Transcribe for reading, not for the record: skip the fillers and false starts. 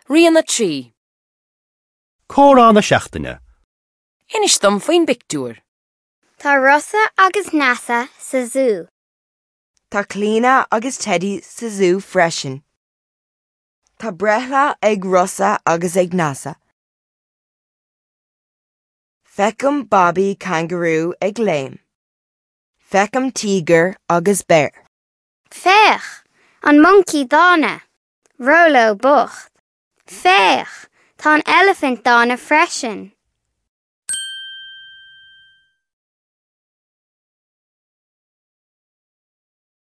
Rian 3. Comhrá na seachtaine. Inis dom faoin bpictiúr. Tá Rosa agus Neasa sa zú. Tá Clíona agus Teddy sa zú freisin. Tá breithlá ag Rosa agus ag Neasa. Feicim babaí cangarú ag léim. Feicim tíogar agus béar. Féach! An moncaí dána! Róló bocht! Féach! Tá an eilifint dána freisin.